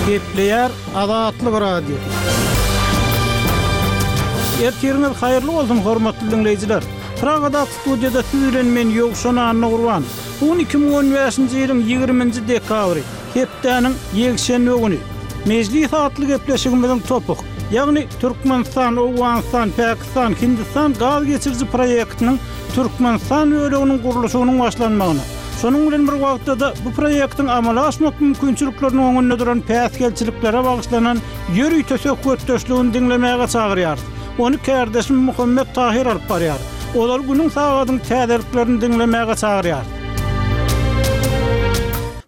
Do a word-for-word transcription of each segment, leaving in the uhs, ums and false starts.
Gepleýär Azatlyk Radiosy. Ertiriňiz haýyrly bolsun, hormatly diňleýjiler! Pragadaky studiýada siz bilen men Ýowşan Annagurban. Bu gün iki müň on bäşinji ýylyň ýigriminji dekabry, hepdäniň ýekşenbe güni. Mejlis atly gepleşigimiziň topuk, ýagny Türkmenistan, Owganystan, Pakistan, Hindistan gaz geçiriji proýektiniň Türkmenistan böleginiň gurluşygynyň başlanmagyna, şonuň bilen bir wagtda-da bu proýektiň amala aşmak mümkinçilikleriniň öňünde duran päsgelçiliklere bagyşlanan ýörite söhbetdeşligini diňlemäge çagyrýarys. Ony kärdeşim Muhammet Tahyr alyp barýar. Ozal günüň sagadyň täzeliklerini diňlemäge çagyrýarys.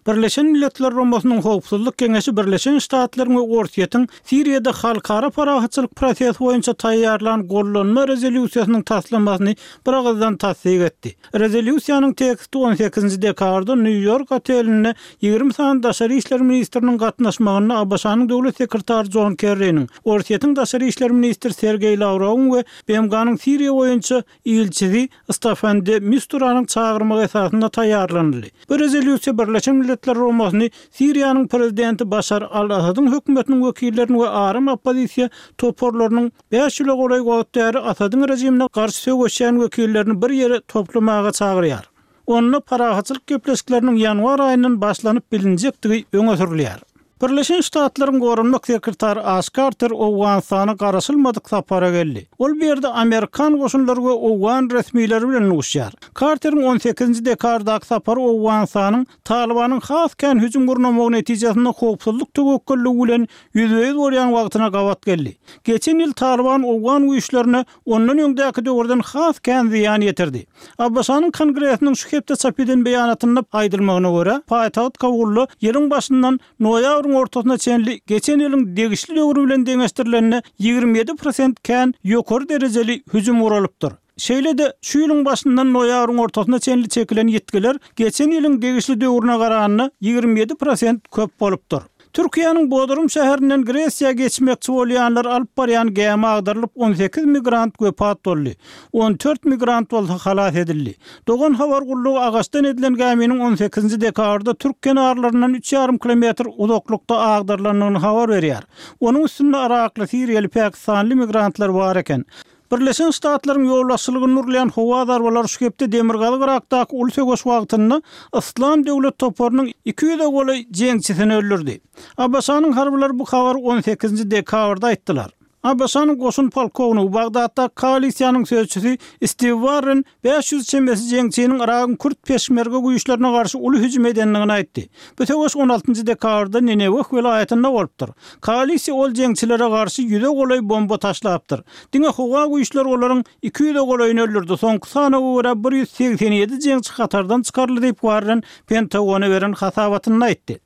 Birleşen Milletler Guramasynyň Howpsuzlyk Geňeşi Birleşen Ştatlaryň we Orsýetiň Siriýada halkara parahatçylyk prosesi boýunça taýýarlan gollanma rezolýusiýasynyň taslamasyny biragyzdan tassyk etdi. Rezolýusiýanyň teksti on sekizinji dekabrda Nýu-Ýork otelinde ýigrimi sany daşary işler ministriniň gatnaşmagynda ABŞ-nyň döwlet sekretary Jon Kerriniň, Orsýetiň daşary işler ministri Sergeý Lawrowyň we B M G-nyň Siriýa boýunça ilçisi Staffan de Misturanyň çagyrmagy esasynda taýýarlanyldy. Bu rezolýusiýa Birleşen Milletler Guramasyny Siriýanyň prezidenti Başar al-Asadyň hökümetiniň wekillerini we aram oppozisiýa toparlarynyň bäş ýyla golaý wagt bäri Asadyň režimine garşy söweşýän wekillerini bir ýere toplamaga çagyrýar. Onda parahatçylyk gepleşikleriniň ýanwar aýyndan başlanyp bilinjekdigi öňe sürülýär. Birleşen Ştatlaryň goranmak sekretary Aş Karter Owganystana garaşylmadyk sapara geldi. Ol bu ýerde Amerikan goşunlary we owgan resmileri bilen duşýar. Karteriň on sekizinji dekabrdaky sapary Owganystanyň Talybanyň has kän hüjüm gurnamagy netijesinde howpsuzlyk töwekgelligi bilen ýüzbe-ýüz bolýan wagtyna gabat geldi. Geçen ýyl Talyban owgan güýçlerine ondan öňdäki döwürden has kän zyýan ýetirdi. ABŞ-nyň Kongresiniň şu hepde çap eden beýanatynda aýdylmagyna görä, paýtagt Kabulda ýylyň başyndan noýabryň ortasyna çenli geçen ýylyň degişli döwri bilen deňeşdirilende ýigrimi ýedi prosent kän ýokary derejeli hüjüm guralypdyr. Şeýle-de şu ýylyň başyndan noýabryň ortasyna çenli çekilen ýitgiler geçen ýylyň degişli döwrüne garanda ýigrimi ýedi prosent köp bolupdyr. Türkiýäniň Bodrum şäherinden Gresiýa geçmekçi bolýanlar alyp barýan gämi agdarylyp on sekiz migrant wepat boldy. On dört migrant bolsa halas edildi. Dogan habar gullugy agaçdan edilen gäminiň on sekizinji dekabrda türk kenarlaryndan üç ýarym kilometr uzaklykda agdarylandygyny habar berýär. Onuň üstünde Irakly, Siriýaly, Pakistanly migrantlar bar eken. Birleşen Ştatlaryň ýolbaşçylygynda urulýan howa zarbalary şu hepde Demirgazyk Irakdaky uly söweş wagtynda Yslam döwlet toparynyň iki ýüze golaý jeňçisini öldürdi. ABŞ-nyň harbylary bu habary on sekizinji dekabrda aýtdylar. ABŞ-nyň goşun polkownigi Bagdatdaky koalisiýanyň sözçüsi Stiw Warren bäş ýüz çemesi jeňçiniň Yragyň kürt peşmerge güýçlerine garşy uly hüjüm edendigini aýtdy. Bu söweş on altynjy dekabrda Nineweh welaýatynda bolupdyr. Koalisiýa ol jeňçilere garşy ýüze golaý bomba taşlapdyr. Diňe howa güýçleri olaryň iki ýüze golaýyny öldürdi. Soňky sanawa görä bir ýüz segsen ýedi jeňçi hatardan çykaryldy diýip Warren Pentagona beren hasabatynda aýtdy.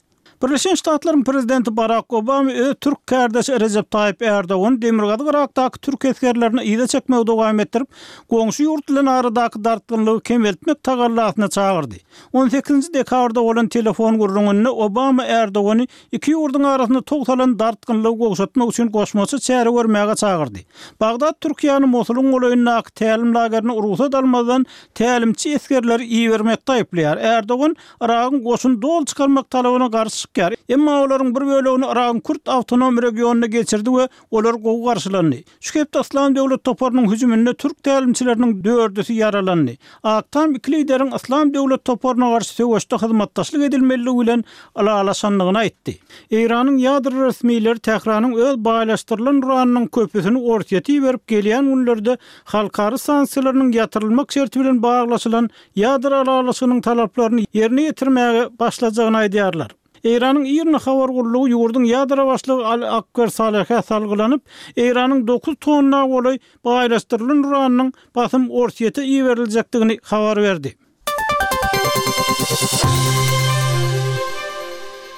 Birleşen Ştatlaryň prezidenti Barak Obama öz türk kärdeşi Rejep Taýyp Erdogan Demirgazyk Irakdaky türk esgerlerini yza çekmegi dowam etdirip, goňşy ýurt bilen aradaky dartgynlygy kemeltmek tagallasyna çagyrdy. On sekizinji dekabrda bolan telefon gürrüňinde Obama Erdogany iki ýurduň arasynda tow salan dartgynlygy gowşatmak üçin goşmaça çäre görmäge çagyrdy. Bagdat Türkiýäniň Mosulyň golaýyndaky tälim lagerine rugsat almazdan tälimçi esgerleri ibermekde aýyplaýar. Erdogan Yragyň goşuny doly çykarmak talabyna garşy çykýar. Emma olaryň bir bölegini Yragyň Kürt awtonom regionyna geçirdi we olar gowy garşylandy. Şu hepde Yslam döwlet toparynyň hüjüminde türk tälimçileriniň dördüsi ýaralandy. Ak Tam iki lideriň Yslam döwlet toparyna garşy söweşde hyzmatdaşlyk edilmeliligi bilen ylalaşandygyny aýtdy. Eýranyň ýadro resmileri Tähranyň öz baýlaşdyrylan uranynyň köpüsini Orsýete iberip gelýän günlerde halkara sanksiýalarynyň ýatyrylmak şerti bilen baglaşylan ýadro ylalaşygynyň talaplaryny ýerine ýetirmäge başlajagyny aýdýarlar. Eýranyň IRNA habar gullugy ýurduň ýadro başlygy Ali Akbar Salehä salgylanyp, Eýranyň dokuz tonna golaý baýlaşdyrylan uranynyň basym Orsýete iberiljekdigini habar berdi.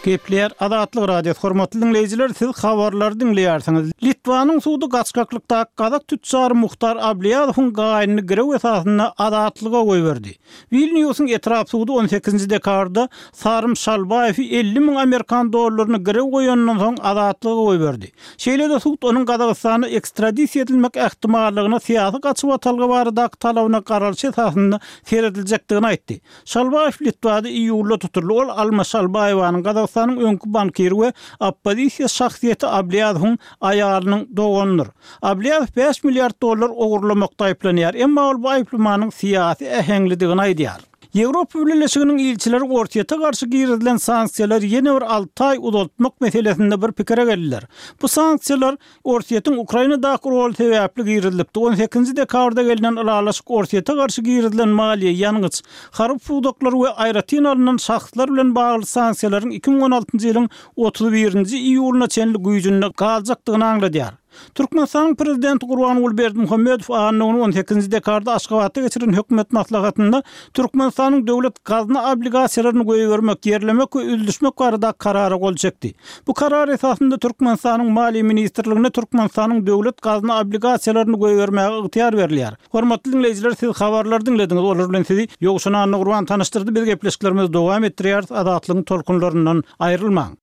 Gepleýär Azatlyk Radiosy. Hormatly diňleýjiler, siz habarlary diňleýärsiňiz. Litwanyň sudy gaçgaklykdaky gazak tüçjary Muhtar Abliýazowyň gaýynyny girew esasynda azatlyga goýberdi. Wilniusyň etrap sudy on sekizinji dekabrda Sarym Şalbaýewi elli müň amerikan dollaryny girew goýanyndan soň azatlyga goýberdi. Şeýle-de sud onuň Gazagystana ekstradisiýa edilmek ähtimallygyna syýasy gaçybatalga baradaky talabyna garalyş esasynda serediljekdigini aýtdy. Şalbaýew Litwada iýulda tutuldy. Ol Alma Şalbaýewanyň Gazagystanda Gazagystanyň öňki bankiri we oppozisiýa şahsyýeti Ablýazowyň aýalynyň doganydyr. Ablýazow bäş milliard dollar ogurlamakda aýyplanýar, emma ol bu aýyplamanyň syýasy äheňlidigini aýdýar. Ýewropa Bileleşiginiň ilçileri Orsýete garşy girizilen sanksiýalary ýene bir alty aý uzaltmak meselesinde bir pikire geldiler. Bu sanksiýalar Orsýetiň Ukrainadaky roly sebäpli girizilipdi. On sekizinji dekabrda gelnen ylalaşyk Orsýete garşy girizilen maliýe, ýangyç, harby pudaklar we aýratyn alnan şahslar bilen bagly sanksiýalaryň iki müň on altynjy ýylyň otuz birinji iýulyna çenli güýjünde galjakdygyny aňladýar. Türkmenistanyň Prezidenti Gurbanguly Berdimuhamedow anna güni on sekizinji dekabrda Aşgabatda geçiren hökümet maslahatynda Türkmenistanyň döwlet gazna obligasiýalaryny goýbermek, ýerlemek we üzlüşmek barada Karara gol çekdi. Bu karar esasynda Türkmenistanyň Maliýe ministrligine Türkmenistanyň döwlet gazna obligasiýalaryny goýbermäge ygtyýar berilýär. Hormatly diňleýjiler, siz habarlary diňlediňiz, olar bilen sizi Ýowşan Annagurban tanyşdyrdy. Biz gepleşiklerimizi dowam etdirýäris, Azatlygyň tolkunlaryndan aýrylmaň.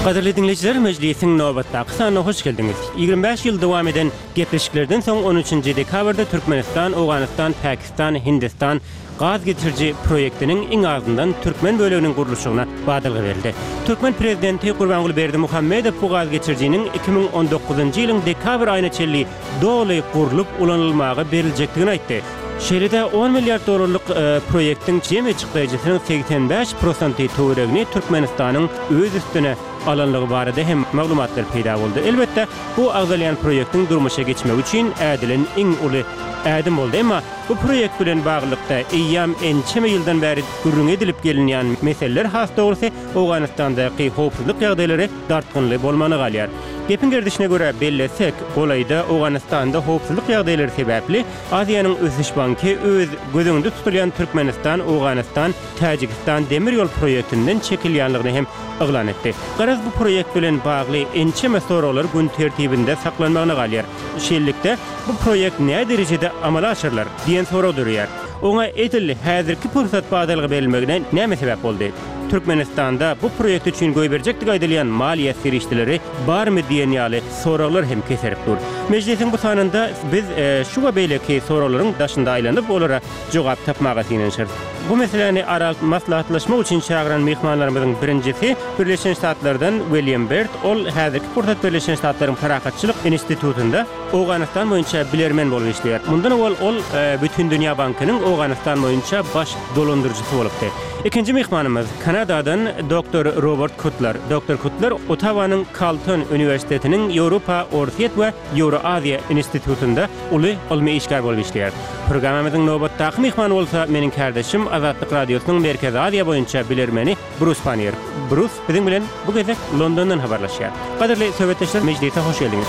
Gadyrly diňleýjiler, mejlisiň nobatdaky sanyna hoş geldiňiz. Ýigrimi bäş ýyl dowam eden gepleşiklerden soň on üçünji dekabrda Türkmenistan, Owganystan, Pakistan, Hindistan gaz geçiriji proýektiniň iň azyndan türkmen böleginiň gurluşygyna badalga berildi. Türkmen prezidenti Gurbanguly Berdimuhamedow bu gaz geçirijiniň iki müň on dokuzynjy ýylyň dekabr aýyna çenli doly gurlup ulanylmaga beriljekdigini aýtdy. Şeýle-de on milliard dollarlyk proýektiň jemi çykdaýjysynyň segsen bäş prosenti töweregini Türkmenistanyň öz üstüne alanlygy barada hem maglumatlar peýda boldy. Elbetde, bu agzalýan proýektiň durmuşa geçmegi üçin ädilen iň uly ädim boldy. Emma bu proýekt bilen baglylykda eýýäm ençeme ýyldan bäri gürrüňi edilip gelinýän meseleler, has dogrusy, Owganystandaky howpsuzlyk ýagdaýlary dartgynly bolmagyna galýar. Gepiň gerdişine görä bellesek, golaýda Owganystanda howpsuzlyk ýagdaýlary sebäpli Aziýanyň Ösüş banky öz göz öňünde tutulýan Türkmenistan, Owganystan, Täjigistan demir ýol proýektinden çekilýänligini hem yglan etdi. Garaz, bu proýekt bilen bagly ençeme soraglar gün tertibinde saklanmagyna galýar. Şeýlelikde, bu proýekt näderejede amala aşyrylar diýen sorag döreýär. Oňa edil häzirki pursat badalga berilmegine näme sebäp boldy? Türkmenistanda bu proýekt üçin goýberjekdigi aýdylýan maliýe serişdeleri barmy diýen ýaly soraglar hem keserip dur. Mejlisiň bu sanynda biz şu we beýleki soraglaryň daşynda aýlanyp, olara jogap tapmaga synanyşarys. Bu meseläni ara alyp maslahatlaşmak üçin çagyran myhmanlarymyzyň birinjisi Birleşen Ştatlardan William Bert, ol häzirki pursat Birleşen Ştatlaryň Parahatçylyk institutynda Owganystan boýunça bilermen bolup işleýär. Mundan owal ol Bütindünýä bankynyň Owganystan boýunça baş dolandyryjysy bolupdy. Ikinji myhmanymyz Kanadadan doktor Robert Kutler. Doktor Kutler Ottawanyň Kalton uniwersitetiniň Ýewropa, Orsýet we Ýewroaziýa institutynda uly ylmy işgär bolup işleýär. Programmamyzyň nobatdaky myhmany bolsa meniň kärdeşim Azatlyk Radiosynyň Merkezi Aziýa boýunça bilermeni Brus Panniýer. Brus biziň bilen bu gezek Londondan habarlaşýar. Gadyrly söhbetdeşler, mejlise hoş geldiňiz.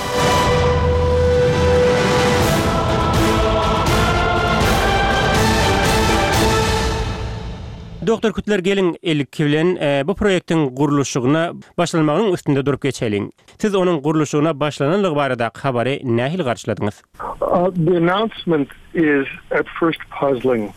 Doktor Kutler, geliň ilki bilen bu proýektiň gurluşygyna başlanmagynyň üstünde durup geçeliň. Siz onuň gurluşygyna başlananlygy baradaky habary nähili garşyladyňyz? The announcement is at first puzzling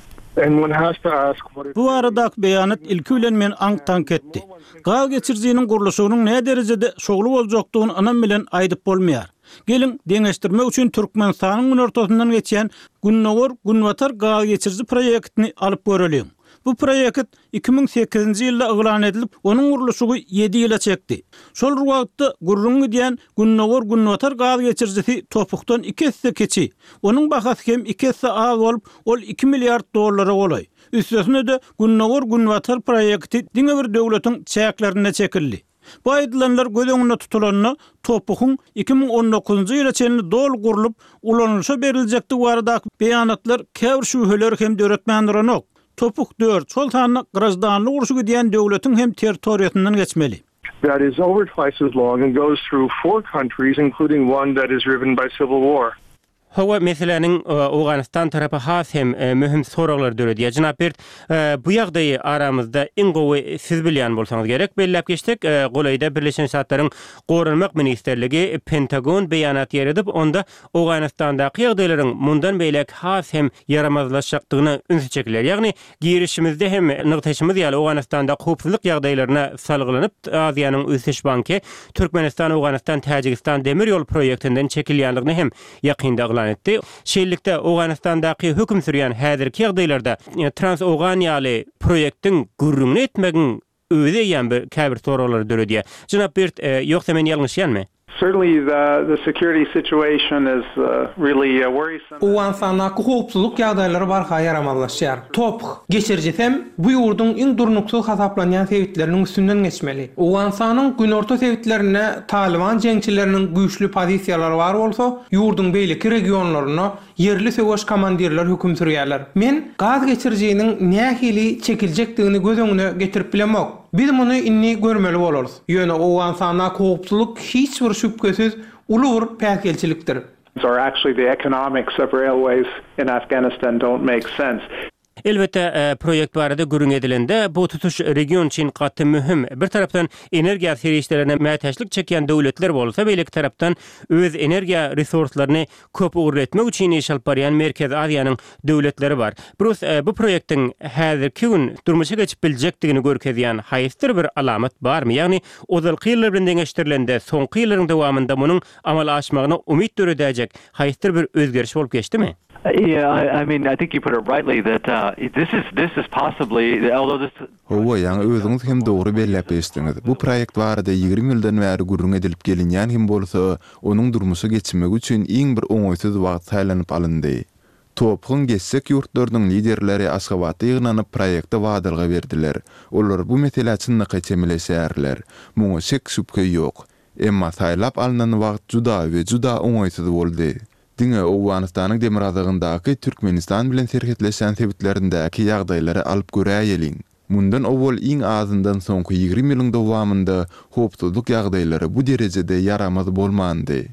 and one has to ask what it Bu baradaky beýanat ilki bilen meni aňk-taňk etdi. Gaz geçirijiniň gurluşygynyň näderejede şowly boljakdygyny ynam bilen aýdyp bolmaýar. Geliň, deňeşdirmek üçin Türkmenistanyň günortasyndan geçýän Gündogar-Günbatar gaz geçiriji proýektini alyp göreliň. Bu proýekt iki müň sekizinji ýylda yglan edilip, onuň gurluşygy ýedi ýyla çekdi. Şol bir wagtda gürrüňi gidýän Gündogar-Günbatar gaz geçirijisi topukdan iki esse kiçi. Onuň bahasy hem iki esse az bolup, ol iki milliard dollara golaý. Üstesine-de, Gündogar-Günbatar proýekti diňe bir döwletiň çäklerinde çekildi. Bu aýdylanlar göz öňünde tutulanda, topugyň iki müň on dokuzynjy ýyla çenli doly gurlup, ulanylyşa beriljekdigi baradaky beýanatlar käbir şübheleri hem döretmän duranok. Topuk dört, şol sanda graždanlyk urşy gidýän döwletiň hem territoriýasyndan geçmeli. That is over twice as long and goes through four countries, including one that is riven by civil war. Hawa, meseläniň Owganystan tarapy has hem möhüm soraglary döredýär. Jenap Bert, bu ýagdaýy aramyzda iň gowy siz bilýän bolsaňyz gerek. Belläp geçsek, golaýda Birleşen Ştatlaryň Goranmak ministrligi, Pentagon beýanat ýaýradyp, onda Owganystandaky ýagdaýlaryň mundan beýläk has hem ýaramazlaşjakdygyna ünsi çekilýär. Ýagny, girişimizde hem nygtaýşymyz ýaly, Owganystandaky howpsuzlyk ýagdaýlaryna salgylanyp, Aziýanyň Ösüş banky Türkmenistan-Owganystan-Täjigistan demir ýol proýektinden çekilýändigini hem ýakynda yglan yglan etdi. Şeýlelikde, Owganystandaky höküm sürýän häzirki ýagdaýlarda Trans-Owgan ýaly proýektiň gürrüňini etmegiň özi eýýäm bir käbir soraglary döredýär. Jenap Birt, ýogsa men ýalňyşýanmy? Certainly the the security situation is really worrisome. Owganystandaky howpsuzlyk ýagdaýlary barha ýaramazlaşýar. TOPH geçirijisem bu ýurduň iň durnuksyz hasaplanýan sebitleriniň üstünden geçmeli. Owganystanyň günorta sebitlerinde Talyban jeňçileriniň güýçli pozisiýalary bar bolsa, ýurduň beýleki regionlarynda ýerli söweş komandirler höküm sürýärler. Men gaz geçirijiniň nähili çekiljekdigini göz öňüne getirip bilemok. Biz muny indi görmeli bolarys. Ýöne Owganystandaky howpsuzlyk hiç bir şübhesiz uly bir päsgelçilikdir. Or actually the economics of railways in Afghanistan don't make sense. Elbetde, proýekt barada gürrüň edilende, bu tutuş region üçin gaty möhüm. Bir tarapdan energiýa serişdelerine mätäçlik çekýän döwletler bolsa, beýleki tarapdan öz energiýa resurslaryny köp ugurly etmek üçin iş alyp barýan Merkezi Aziýanyň döwletleri bar. Brus, bu proýektiň häzirki gün durmuşa geçip biljekdigini görkezýän haýsydyr bir alamat barmy? Ýagny, ozalky ýyllar bilen deňeşdirilende, soňky ýyllaryň dowamynda munuň amala aşmagyna umyt döredäýjek haýsydyr bir özgeriş bolup geçdimi? Yeah, I mean, I think you put it rightly that uh, this is this is possibly, although this Hawa, ýaňy özüňiz hem dogry belläp geçdiňiz. Bu proýekt barada ýigrimi ýyldan bäri gürrüň edilip gelinýän hem bolsa, onuň durmuşa geçmegi üçin iň bir oňaýsyz wagt saýlanyp alyndy. TOPH-yň geçjek ýurtlarynyň liderleri Aşgabatda ýygnanyp, proýekte badalga berdiler. Olar bu meselä çynlakaý çemeleşýärler. Muňa şek-şübhe ýok. Emma saýlap alnan wagt juda we juda oňaýsyz boldy. Diňe Owganystanyň demirgazygyndaky Türkmenistan bilen serhetleşýän sebitlerindäki ýagdaýlary alyp göräýeliň. Mundan owal iň azyndan soňky ýigrimi ýylyň dowamynda howpsuzlyk ýagdaýlary bu derejede ýaramaz bolmandy.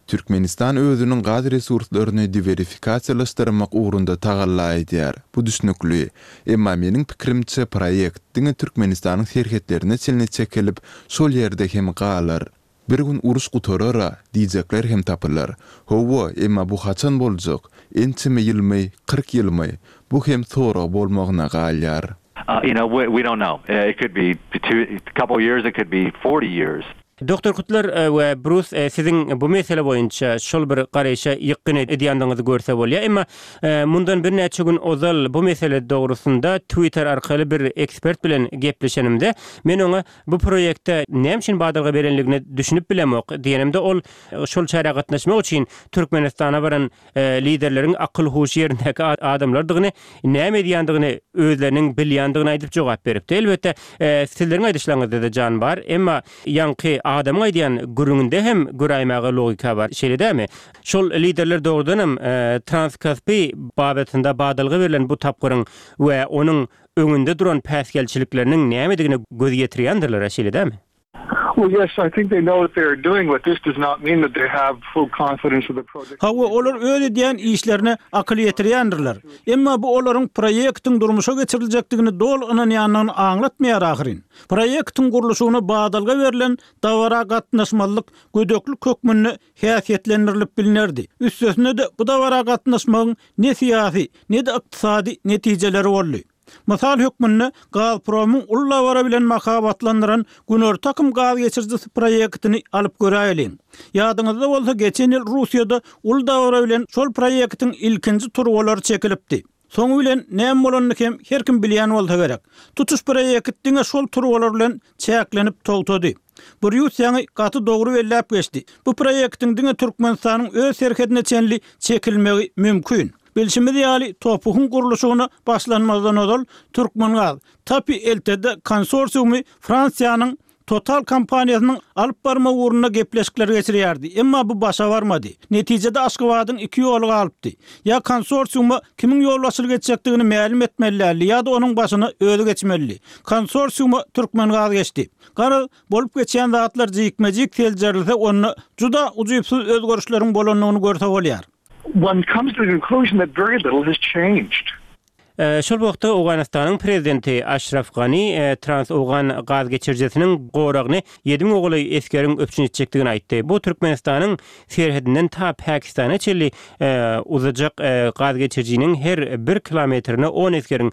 Türkmenistan özüniň gaz resurslaryny diwersifikasiýalaşdyrmak ugrunda tagalla edýär. Bu düşnükli. Emma meniň pikirimçe proýekt diňe Türkmenistanyň serhetlerine çenli çekilip, şol ýerde hem galar. Bir gün uruş gutarar-a diýjekler hem tapylar. Hawa, emma bu haçan boljak? Ençeme ýylmy, kyrk ýylmy? Bu hem sorag bolmagyna galýar. You know, we, we don't know. It could be two, a couple years, it could be forty years. Doktor Kutlar we Brus, siziň bu mesele boýunça şol bir garaýşa ýykgyn edýändigiňizi görse bolýar. Emma mundan birnäçe gün ozal bu mesele dogrusynda Twitter arkaly bir ekspert bilen gepleşenimde, men oňa bu proýekte näme üçin badalga berenligine düşünip bilemok diýenimde, ol şol çärä gatnaşmak üçin Türkmenistana baran liderleriň akyl-huşy ýerindäki adamlardygyny, näme edýändigini özleriniň bilýändigini aýdyp jogap beripdi. Elbetde, sizleriň aýdyşlaryňyzda-da jan bar, emma ýaňky adamyň aýdýan gürrüňinde hem göräýmäge logika bar, şeýle dälmi? Şol liderler dogrudan hem Transkaspi babatynda badalga berlen bu tapgyryň we onuň öňünde duran päsgelçilikleriniň nämedigine göz ýetirýändirler, şeýle dälmi? Well, yes, I think they know what they are doing, but this does not mean that they have full confidence of the project. Hawa, olar öz edýän işlerine akyl ýetirýändirler. Emma bu olaryň proýektiň durmuşa geçiriljekdigini doly ynanýandygyny aňlatmaýar ahyryn. Proýektiň gurluşygyna badalga berlen dabara gatnaşmazlyk gödeklik hökmünde häsiýetlendirilip bilnerdi. Üstesine-de bu dabara gatnaşmagyň ne syýasy, ne-de ykdysady netijeleri boldy. Mysal hökmünde Gazpromyň uly dabara bilen mahabatlandyran Günorta akym gaz geçirijisi proýektini alyp göräýeliň. Ýadyňyzda bolsa geçen ýyl Russiýada uly dabara bilen şol proýektiň ilkinji turbalary çekilipdi. Soňy bilen näme bolanyny hem her kim bilýän bolsa gerek. Tutuş proýekt diňe şol turbalar bilen çäklenip togtady. Brýus ýaňy gaty dogry belläp geçdi. Bu proýektiň diňe Türkmenistanyň öz serhedine çenli çekilmegi mümkin. Bilşimiz ýaly, TOPH-yň gurluşygyna başlanmazdan ozal Türkmengaz, TAPI L T D konsorsiumy Fransiýanyň Total kompaniýasynyň alyp barmak ugrunda gepleşikler geçirýärdi. Emma bu başa barmady. Netijede Aşgabadyň iki ýoly galypdy. Ýa konsorsiuma kimiň ýolbaşçylyk etjekdigini mälim etmeli ýa-da onuň başyna özi geçmelidi. Konsorsiuma Türkmengaz geçdi. Garaz, bolup geçýän zatlar jikme-jik seljerilse, onda juda ujypsyz özgerişleriň bolandygyny görse bolýar. One comes to the conclusion that very little has changed. Şol wagtda Owganystanyň prezidenti Aşraf Gani Trans-Owgan gaz geçirijisiniň goragyny ýedi müňe golaý esgeriň üpjün etjekdigini aýtdy. Bu Türkmenistanyň serhedinden ta Pakistana çenli uzajak gaz geçirijiniň her bir kilometrine on esgeriň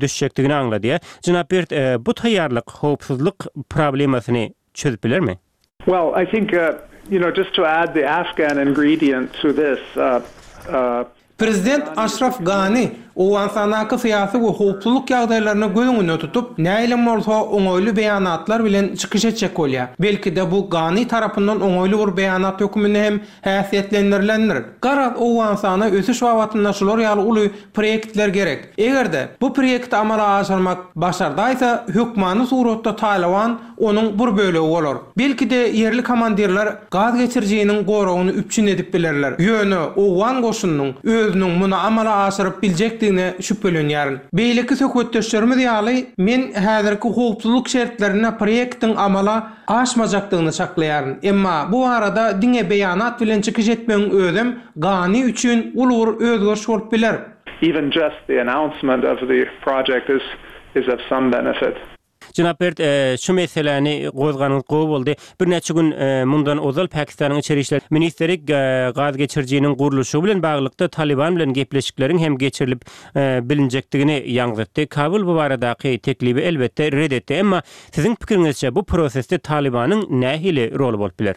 düşjekdigini aňladýar. Jenap Bert, bu taýýarlyk howpsuzlyk problemasyny çözüp bilermi? Well, I think, uh, you know, just to add the Afghan ingredient to this, uh, Uh, Prezident Aşraf Gani Owganystandaky syýasy we howpsuzlyk ýagdaýlaryny göz öňünde tutup, nähilem bolsa oňaýly beýanatlar bilen çykyş etjek bolýar. Belki-de bu Gani tarapyndan oňaýly bir beýanat hökmünde hem häsiýetlendirilendir. Garaz Owganystana ösüş babatynda şular ýaly uly proýektler gerek. Eger-de bu proýekti amala aşyrmak başardaýsa, hökmany suratda Talyban onuň bir bölegi bolar. Belki-de ýerli komandirler gaz geçirijiniň goragyny üpjün edip bilerler. Ýöne Owgan goşunynyň özüniň muny amala aşyryp biljekdigine şübhelenýärin. Beýleki söhbetdeşlerimiz ýaly, men häzirki howpsuzlyk şertlerinde proýektiň amala aşmajakdygyny çaklaýaryn. Emma bu barada diňe beýanat bilen çykyş etmegiň özem Gani üçin uly bir özgeriş bolup biler. Even just the announcement of the project is is of some benefit. Jenap Bert, şu meseläni gozganyňyz gowy boldy. Birnäçe gün mundan ozal Pakistanyň içeri işler ministri gaz geçirijiniň gurluşygy bilen baglylykda Talyban bilen gepleşikleriň hem geçirilip bilinjekdigini ýaňzytdy. Kabul bu baradaky teklibi elbetde red etdi. Emma siziň pikiriňizçe bu prosesde Talybanyň nähili roly bolup biler?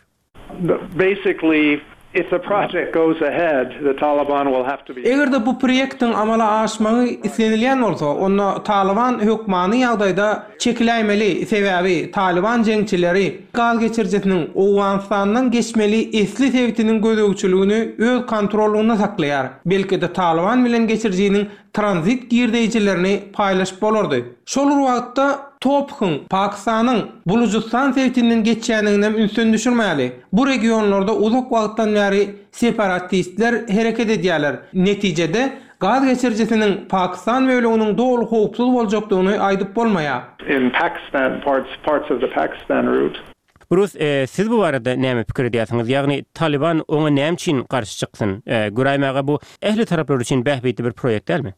Basically, if the project goes ahead, the Taliban will have to be Eger-de bu proýektiň amala aşmagy islenilýän bolsa, onda Talyban hökmany ýagdaýda çekiläýmeli, sebäbi Talyban jeňçileri gaz geçirijisiniň Owganystandan geçmeli esli sebitiniň gözegçiligini öz kontrollygynda saklaýar. Belki-de Talyban bilen geçirijiniň tranzit girdeýjilerini paýlaşyp bolardy. Şol bir wagtda TOPH-yň Pakistanyň Bulujystan sebitinden geçýändigini ünsden düşürmäli. Bu regionlarda uzak wagtdan bäri separatistler hereket edýärler. Netijede gaz geçirijisiniň Pakistan böleginiň doly howpsuz boljakdygyny aýdyp bolmaýar. In Pakistan, parts parts of the Pakistan route. Brus, e, siz bu barada näme pikir edýärsiňiz? Ýagny Taliban oňa näme üçin garşy çyksyn? E, göräýmäge bu ähli taraplar üçin bähbitli bir proýekt dälmi?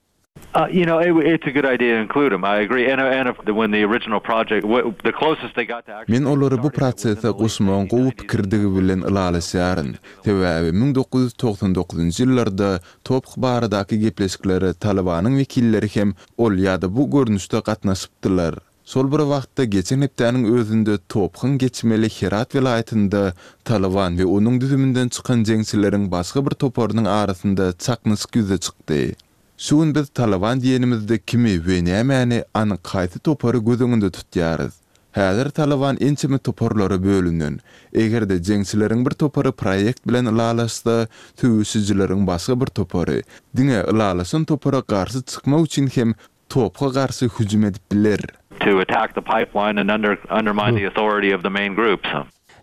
Uh, you know, it, it's a good idea to include them. I agree. And, and if, when the original project, what, the closest they got to actually Men olary bu prosese goşmagyň gowy pikirdigi bilen ylalaşýaryn. Sebäbi müň dokuz ýüz togsan dokuzynjy ýyllarda TOPH baradaky gepleşiklere Talybanyň wekilleri hem ol ýa-da bu görnüşde gatnaşypdylar. Şol bir wagtda geçen hepdäniň özünde TOPH-yň geçmeli Herat welaýatynda Talyban we onuň düzüminden çykan jeňçileriň başga bir toparynyň arasynda çaknyşyk ýüze çykdy. Şu gün biz Talyban diýenimizde kimi we nämäni anyk haýsy topary göz öňünde tutýarys? Häzir Talyban ençeme toparlara bölünen. Eger-de jeňçileriň bir topary proýekt bilen ylalaşsa, söweşijileriň başga bir topary diňe ylalaşan topara garşy çykmak üçin hem TOPH-a garşy hüjüm edip biler. To attack the pipeline and under, undermine the authority of the main groups.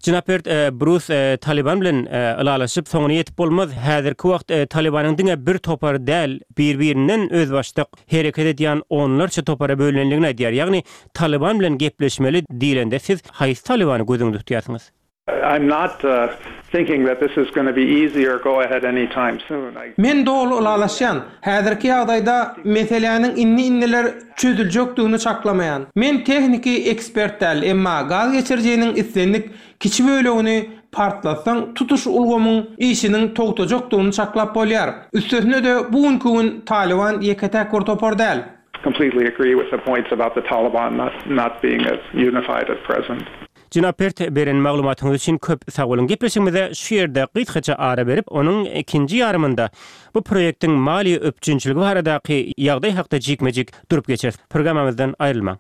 Jenap Bert, Brus Taliban bilen ylalaşyp soňuna ýetip bolmaz. Häzirki wagt Talibanyň diňe bir topary däl, bir-birinden özbaşdak hereket edýän onlarça topara bölünendigini aýdýar. Ýagny Taliban bilen gepleşmeli diýlende siz haýsy Talibany göz öňünde tutýarsyňyz? I'm not uh, thinking that this is going to be easy or go ahead anytime soon. I Men doly ylalaşýan. Häzirki ýagdaýda meseläniň indi-indiler çözüljekdigini çaklamaýan. Men tehniki ekspert däl, emma gaz geçirijiniň islendik kiçi bölegini partlatsaň, tutuş ulgamyň işiniň togtajakdygyny çaklap bolýar. Üstesine-de bu günki gün Talyban ýeke-täk bir topar däl. Completely agree with the points about the Taliban not not being as unified at present. Jenap Bert, beren maglumatyňyz üçin köp sag boluň. Gepleşigimize şu ýerde gysgaça ara berip, onuň ikinji ýarymynda bu proýektiň maliýe üpjünçiligi baradaky ýagdaý hakda jikme-jik durup geçeris. Programmamyzdan aýrylmaň.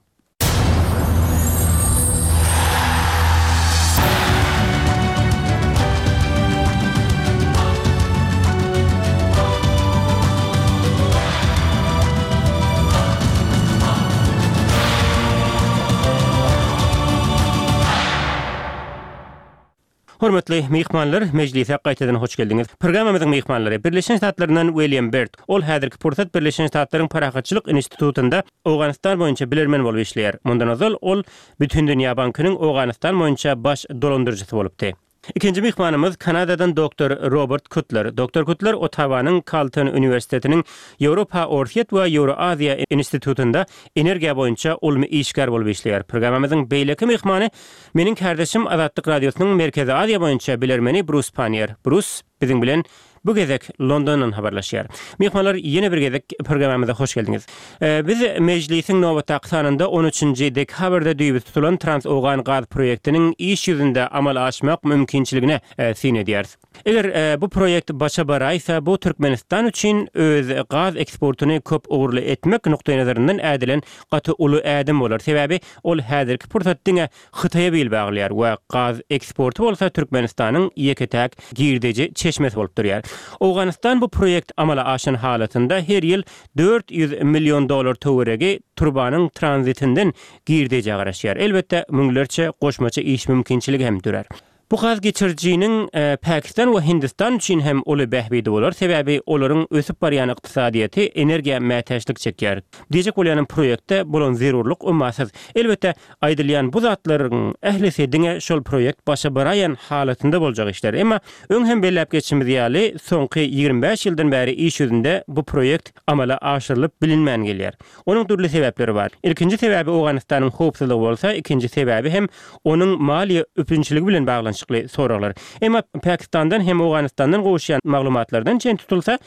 Hormatly myhmanlar, mejlise gaýtadan hoş geldiňiz. Programmamyzyň myhmanlary Birleşen Ştatlaryndan William Bert. Ol häzirki pursat Birleşen Ştatlaryň Parahatçylyk institutynda Owganystan boýunça bilermen bolup işleýär. Mundan ozal ol Bütindünýä bankynyň Owganystan boýunça baş dolandyryjysy bolupdy. Ikinji myhmanymyz Kanadadan doktor Robert Kutler. Doktor Kutler Ottawanyň Carleton uniwersitetiniň Ýewropa, Orsýet we Ýewroaziýa institutynda energiýa boýunça ylmy işgär bolup işleýär. Programmamyzyň beýleki myhmany meniň kärdeşim Azatlyk Radiosynyň Merkezi Aziýa boýunça bilermeni Brus Pannier. Brus biziň bilen Bu gezek Londondan habarlaşýar. Myhmanlar ýene bir gezek programmamyza hoş geldiňiz. Biz mejlisiň nobatdaky sanynda on üçünji dekabrda düýbi tutulan Trans-Owgan gaz proýektiniň iş ýüzünde amala aşmak mümkinçiligine syn edýäris. Eger bu proýekt başa baraýsa, bu Türkmenistan üçin öz gaz eksportyny köp ugurly etmek nukdaýnazaryndan ädilen gaty uly ädim bolar. Sebäbi ol häzirki pursat diňe Hytaýa bil baglaýar we gaz eksporty bolsa Türkmenistanyň ýeke-täk girdeji çeşmesi bolup durýar. Owganystan bu proýekt amala aşan halatynda her ýyl dört ýüz million dollar töweregi turbanyň tranzitinden girdejä garaşýar. Elbetde, müňlerçe goşmaça iş mümkinçiligi hem dörär. Bu gaz geçirijiniň Pakistan we Hindistan üçin hem uly bähbidi bolar, sebäbi olaryň ösüp barýan ykdysadyýeti energiýa mätäçlik çekýär. Diýjek bolýanym proýektde bolan zerurlyk ummasyz. Elbetde, aýdylýan bu zatlaryň ählisi diňe şol proýekt başa baraýan halatynda boljak işler. Emma öň hem belläp geçişimiz ýaly, soňky ýigrimi bäş ýyldan bäri iş ýüzünde bu proýekt amala aşyrylyp bilinmän gelýär. Onuň dürli sebäpleri bar. Ilkinji sebäbi Owganystanyň howpsuzlygy bolsa, ikinji sebäbi hem onuň maliýe üpjünçiligi bilen baglanyşykly soraglar. Emma Pakistandan hem Owganystandan gowuşýan maglumatlardan çen tutulsa,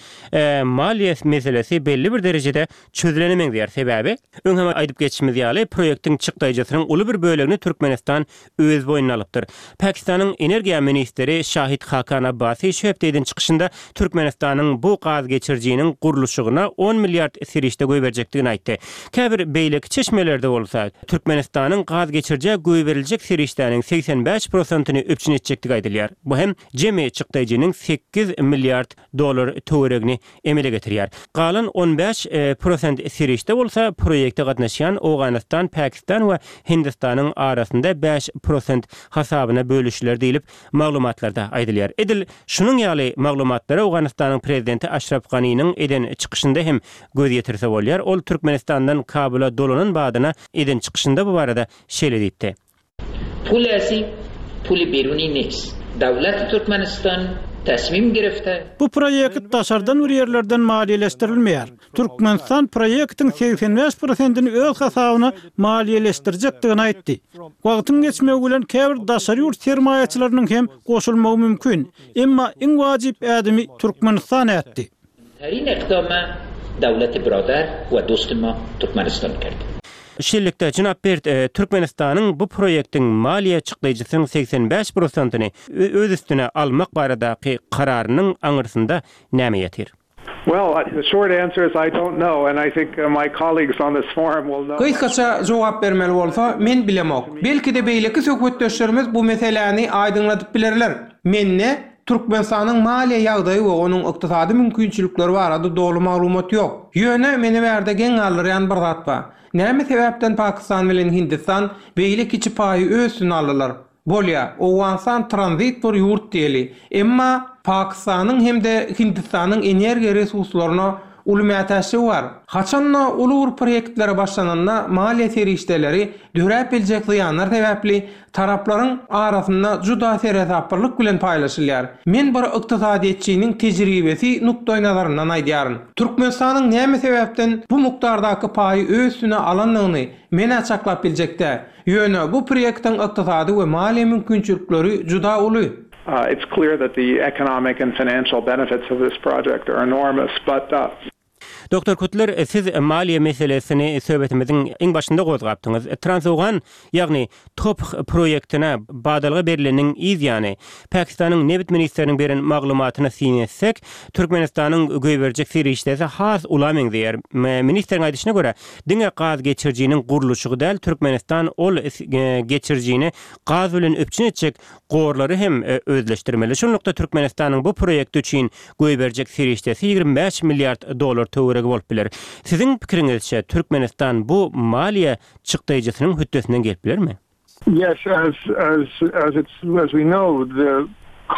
maliýe meselesi belli bir derejede çözülene meňzeýär. Sebäbi, öň hem aýdyp geçişimiz ýaly, proýektiň çykdaýjysynyň uly bir bölegini Türkmenistan öz boýnuna alypdyr. Pakistanyň energiýa ministri Şahid Hakan Abbasi şu hepde eden çykyşynda Türkmenistanyň bu gaz geçirijiniň gurluşygyna on milliard serişde goýberjekdigini aýtdy. Käbir beýleki çeşmelerde bolsa, Türkmenistanyň gaz geçirijä goýberiljek serişdäniň segsen bäş prosentini üpjün etjekdigi aýdylýar. Bu hem jemi çykdaýjynyň sekiz milliard dollar töweregini emele getirýär. Galan on bäş prosent serişde bolsa proýekte gatnaşýan Owganystan, Pakistan we Hindistanyň arasynda bäş prosent hasabyna bölüşiler diýlip, maglumatlarda aýdylýar. Edil şunuň ýaly maglumatlara Owganystanyň prezidenti Aşraf Ganiniň eden çykyşynda hem göz ýetirse bolýar. Ol Türkmenistandan Kabula dolanan badyna eden çykyşynda bu barada şeýle diýipdi. Pul esi, pul biruni nest. Döwlet Türkmenistan tasmim girifte. Bu proýekt daşardan bir ýerlerden maliýeleşdirilmeýär. Türkmenistan proýektiň segsen bäş prosentini öz hasabyna maliýeleşdirjekdigini aýtdy. Wagtyň geçmegi bilen käbir daşary ýurt sermaýaçylarynyň hem goşulmagy mümkin. Emma iň wajyp ädimi Türkmenistan ätdi. Terin ikdama döwleti biradar we dostuma Türkmenistan kerdi. Şeýlelikde, jenap Bert, Türkmenistanyň bu proýektiň maliýe çykdaýjysynyň segsen bäş prosentini öz üstüne almak baradaky kararynyň aňyrsynda näme ýatyr? Well, the short answer is I don't know, and I think my colleagues on this forum will know. Gysgaça jogap bermeli bolsa, men bilemok. Belki-de beýleki söhbetdeşlerimiz bu meseläni aýdyňladyp bilerler. Mende Türkmenistanyň maliýe ýagdaýy we onuň ykdysady mümkinçilikleri barada doly maglumat ýok. Ýöne meni bärde geň galdyrýan bir zat bar. Näme sebäpden Pakistan bilen Hindistan beýle kiçi paýy öz üstüne aldylar? Bolýar, Owganystan tranzit bir ýurt diýeli. Emma Pakistanyň hem-de Hindistanyň energiýa resurslaryna uly mätäçligi bar. Haçan-da uly bir proýektlere başlananda maliýe serişdeleri döräp biljek zyýanlar sebäpli taraplaryň arasynda juda seresaplylyk bilen paýlaşylýar. Men bir ykdysadyýetçiniň tejribesi nukdaýnazaryndan aýdýaryn. Türkmenistanyň näme sebäpden bu mukdardaky paýy öz üstüne alandygyny men-ä çaklap biljek däl. Ýöne bu proýektiň ykdysady we maliýe mümkinçilikleri juda uly. It's clear that the economic and financial benefits of this project are enormous, but Doktor Kutler, siz maliýe meselesini söhbetimiziň iň başynda gozgapdyňyz. Trans-Owgan, ýagny TOPH proýektine badalga berleniň yz ýany, Pakistanyň nebit ministriniň beren maglumatyna syn etsek, Türkmenistanyň goýberjek serişdesi has ula meňzeýär. Ministriň aýdyşyna görä, diňe gaz geçirijiniň gurluşygy däl, Türkmenistan ol geçirijini gaz bilen üpjün etjek gorlary hem özleşdirmeli. Şunlukda Türkmenistanyň bu proýekti üçin goýberjek serişdesi ýigrimi bäş milliard dollar töweregi bolup biler. Siziň pikiriňizçe, Türkmenistan bu maliýe çykdaýjysynyň hötdesinden gelip bilermi? Yes, as, as, as it's, as we know, the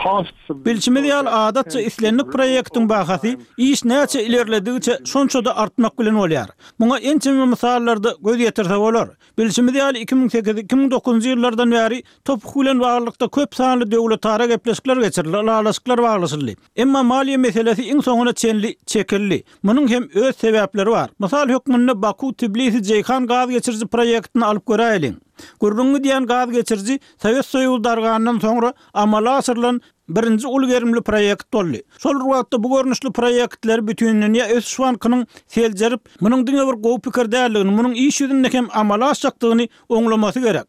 costs of Bilşimiz ýaly, adatça islendik proýektiň bahasy iş näçe ilerledigiçe şonça-da artmak bilen bolýar. Muňa ençeme mysallarda göz ýetirse bolar. Bilşimiz ýaly, iki müň sekiz, iki müň dokuzynjy ýyllardan bäri TOPH bilen baglylykda köp sanly döwletara gepleşikler geçirildi, ylalaşyklar baglaşyldy. Emma maliýe meselesi iň soňuna çenli çekildi. Munuň hem öz sebäpleri bar. Mysal hökmünde Baku-Tbilisi-Jeýhan gaz geçiriji proýektini alyp göräýeliň. Gürrüňi gidýän gaz geçiriji Sowet Soýuzy dargandan soňra amala aşyrylan Birinji uly gerimli proýekt boldy. Şol bir wagtda bu görnüşli proýektleri Bütindünýä ösüş bankynyň seljerip, munuň diňe bir gowy pikir däldigini, munuň iş ýüzünde hem amala aşjakdygyny oňlamasy gerek.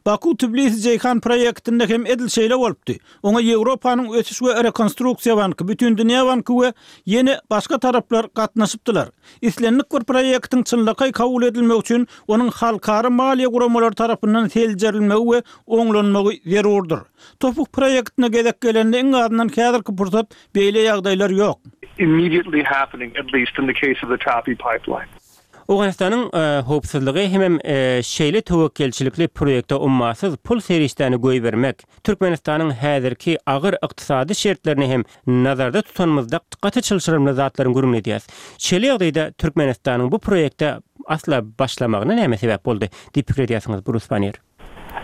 Baku-Tbilisi-Jeýhan proýektinde hem edil şeýle bolupdy. Oňa Ýewropanyň ösüş we rekonstruksiýa banky, Bütindünýä banky we ýene başga taraplar gatnaşypdylar. Islendik bir proýektiň çynlakaý kabul edilmegi üçin onuň halkara maliýe guramalary tarapyndan seljerilmegi we oňlanmagy zerurdyr. TOPH proýektine gezek gelende iň azyndan häzirki pursat beýle ýagdaýlar ýok. immediately happening, at least in the case of the TAPI pipeline. Owganystanyň howpsuzlygy hemem şeýle töwekgelçilikli proýekte ummasyz pul serişdäni goýbermek, Türkmenistanyň häzirki agyr ykdysady şertlerini hem nazarda tutanymyzda gaty çylşyrymly zatlaryň gürrüňini edýäs. Şeýle ýagdaýda Türkmenistanyň bu proýekte asla başlamagyna näme sebäp boldy diýip pikir edýärsiňiz, Brus Pannier?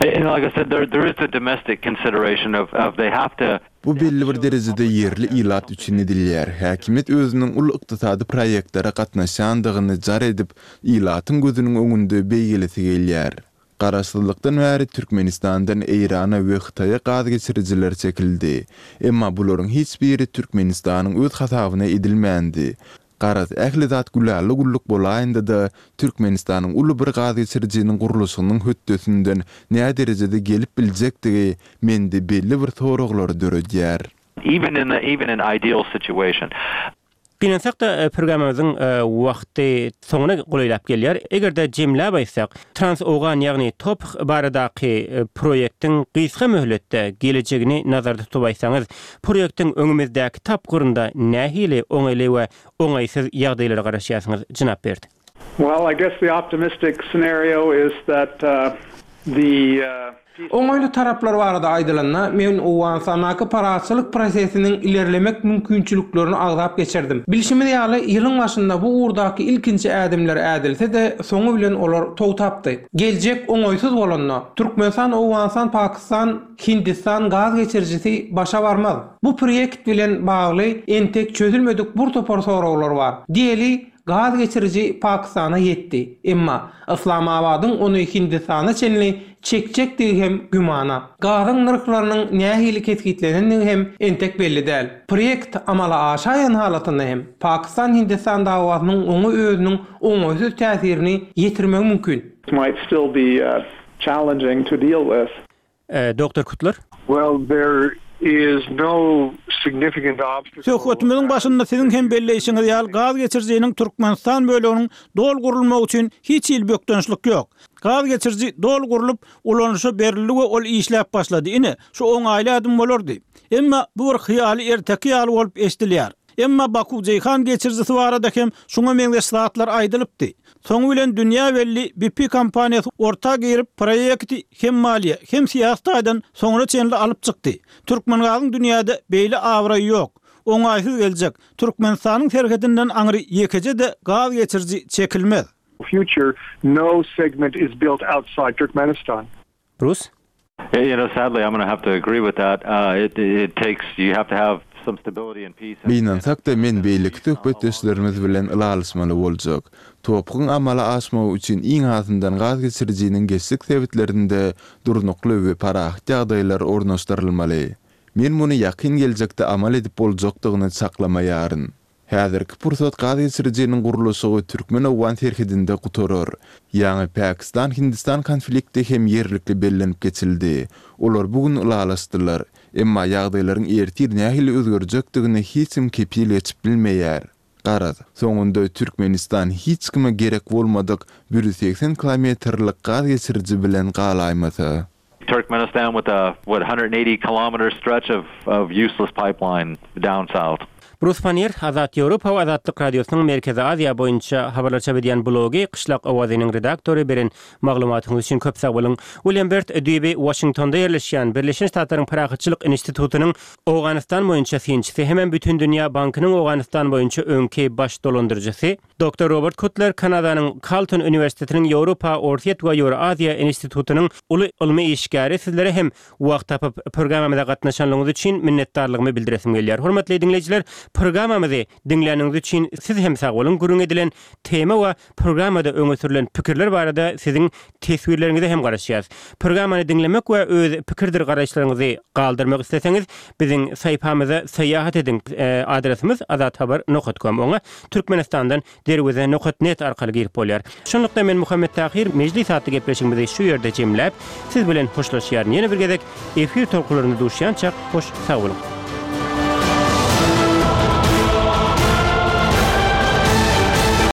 And like I said, there there is a domestic consideration of of they have to Bu belli bir derejede ýerli ilat üçin edilýär. Häkimiýet özüniň uly ykdysady proýektlere gatnaşýandygyny jar edip, ilatyň gözüniň öňünde beýgelesi gelýär. Garaşsyzlykdan bäri Türkmenistandan Eýrana we Hytaýa gaz geçirijiler çekildi. Emma bularyň hiç biri Türkmenistanyň öz hasabyna edilmändi. Garaz, ähli zat gülala-güllük bolaýanda-da, Türkmenistanyň uly bir gaz geçirijiniň gurluşygynyň hötdesinden nä derejede gelip biljekdigi mende belli bir soraglary döredýär. even in the even in ideal situation. Gynansak-da programmamyzyň wagty soňuna golaýlap gelýär. Eger-de jemläp aýtsak, Trans-Owgan ýagny TOPH baradaky proýektiň gysga möhletde gelejegini nazarda tutup aýtsaňyz, proýektiň öňümizdäki tapgyrynda nähili oňaýly we oňaýsyz ýagdaýlara garaşýarsyňyz, jenap Berd? Well, I guess the optimistic scenario is that uh, the uh, Oňaýly taraplar barada aýdylanda, men Owganystandaky parahatçylyk prosesiniň ilerlemek mümkinçiliklerini agzap geçirdim. Bilşimiz ýaly, ýylyň başynda bu ugurdaky ilkinji ädimler ädilse-de, soňy bilen olar togtapdy. Geljek oňaýsyz bolanda, Türkmenistan, Owganystan, Pakistan, Hindistan gaz geçirijisi başa barmaz. Bu proýekt bilen bagly entek çözülmedik bir topar soraglar bar. Diýeli, gaz geçiriji Pakistana ýetdi. Emma Islamabadyň ony Hindistana çenli çekjekdigi hem gümana. Gazyň nyrhlarynyň nähili kesgitlenendigi hem entek belli däl. Proýekt amala aşaýan halatynda hem Pakistan-Hindistan dawasynyň oňa özüniň oňaýsyz täsirini ýetirmegi mümkin. might still be uh, challenging to deal with. Doktor Kutler? Well, there is no significant obstacle. Söhbetimiziň başynda siziň hem belleýşiňiz ýaly gaz geçirijiniň Türkmenistan böleginiň doly gurulmagy üçin hiç hili bökdençlik ýok. Gaz geçiriji doly gurlup, ulanyşa berildi we ol işläp başlady. Ine, şu oňaýly adım bolardy. Emma bu bir hyýaly erteki ýaly bolup eşidilýär. Emma Baku-Jeýhan geçirijisi barada hem şuňa meňzeş zatlar aýdylypdy. Soňy bilen dünýä belli B P kompaniýasy orta girip proýekti hem maliýe, hem syýasy taýdan soňuna çenli alyp çykdy. Türkmengazyň dünýäde beýle abraýy ýok. Oňaýsyz geljek. Türkmenistanyň serhedinden aňry ýekeje-de gaz geçiriji çekilmez. Future, no segment is built outside Turkmenistan. Bruce? You know, sadly, I'm going to have to agree with that. Uh, it, it takes, you have to have some stability and peace. Gynansak-da men beýleki söhbetdeşlerimiz bilen ylalaşmaly boljak. TOPH-yň amala aşmagy üçin iň azyndan gaz geçirijiniň geçjek sebitlerinde durnukly we parahat ýagdaýlar ornaşdyrylmaly. Men muny ýakyn geljekde amal edip boljakdygyny çaklamaýaryn. Häzirki pursat gaz geçirijiniň gurluşygy Türkmen-Owgan serhedinde gutarar. Ýaňy Pakistan-Hindistan konflikti hem ýerlikli bellenip geçildi. Olar bu gün ylalaşdylar. Emma ýagdaýlaryň ertir nähili özgerjekdigini hiç kim kepil geçip bilmeýär. Garaz, soňunda Türkmenistan hiç kime gerek bolmadyk bir ýüz segsen kilometrlik gaz geçiriji bilen galaýmasa. Turkmenistan with a, what, one hundred eighty kilometer stretch of, of useless pipeline down south. Brus Pannier, Azat Ýewropa we Azatlyk Radiosynyň Merkezi Aziýa boýunça habarlar çap edýän blogy Gyşlak owazynyň redaktory beren maglumatyňyz üçin köp sag boluň. William Bert düýbi Washingtonda ýerleşýän Birleşen Ştatlaryň Parahatçylyk institutynyň Owganystan boýunça synçysy hem Bütindünýä Bankynyň Owganystan boýunça öňki baş dolandyryjysy Doktor Robert Kutler Kanadanyň Carleton Uniwersitetiniň Ýewropa, Orsýet we Ýewroaziýa institutynyň uly ylmy işgäri sizlere hem wagt tapyp programmamyza gatnaşanlygyňyz üçin minnetdarlygymy bildiresim gelýär. Hormatly diňleýjiler, Programmamyzy diňläniňiz üçin siz hem sag boluň. Gürrüň edilen tema we programmada öňe sürülen pikirler barada siziň teswirleriňize hem garaşýarys. Programmany diňlemek we öz pikirdir garaýyşlaryňyzy galdyrmak isleseňiz, biziň saýpamyza syýahat ediň. Adresimiz azathabar nokat com. Oňa Türkmenistandan derweze nokat net arkaly girip bolýar. Şunlukda men Muhammet Tahir Mejlis atly gepleşigimizi şu ýerde jemläp, siz bilen hoşlaşýaryn. Ýene bir gezek efir tolkunlarynda duşýançak, hoş sag boluň.